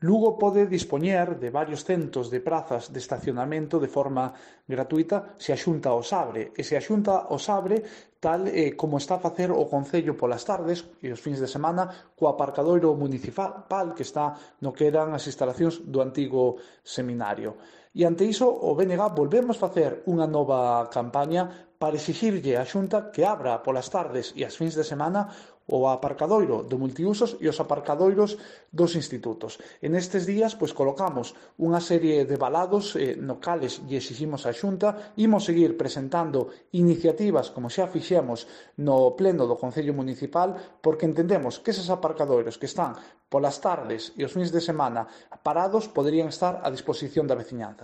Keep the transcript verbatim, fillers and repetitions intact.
Lugo pode dispoñer de varios centos de prazas de estacionamento de forma gratuita se a Xunta os abre, e se a Xunta os abre tal eh, como está a facer o Concello polas tardes e os fins de semana co aparcadoiro municipal que está no que eran as instalacións do antigo seminario. E ante iso o B N G volvemos facer unha nova campaña para exixirlle á Xunta que abra polas tardes e as fins de semana o aparcadoiro do multiusos e os aparcadoiros dos institutos. En estes días, pois, colocamos unha serie de balados eh, no cales lle exiximos á Xunta, imos seguir presentando iniciativas como xa fixemos no pleno do Concello Municipal, porque entendemos que eses aparcadoiros que están polas tardes e os fins de semana parados poderían estar a disposición da veciñanza.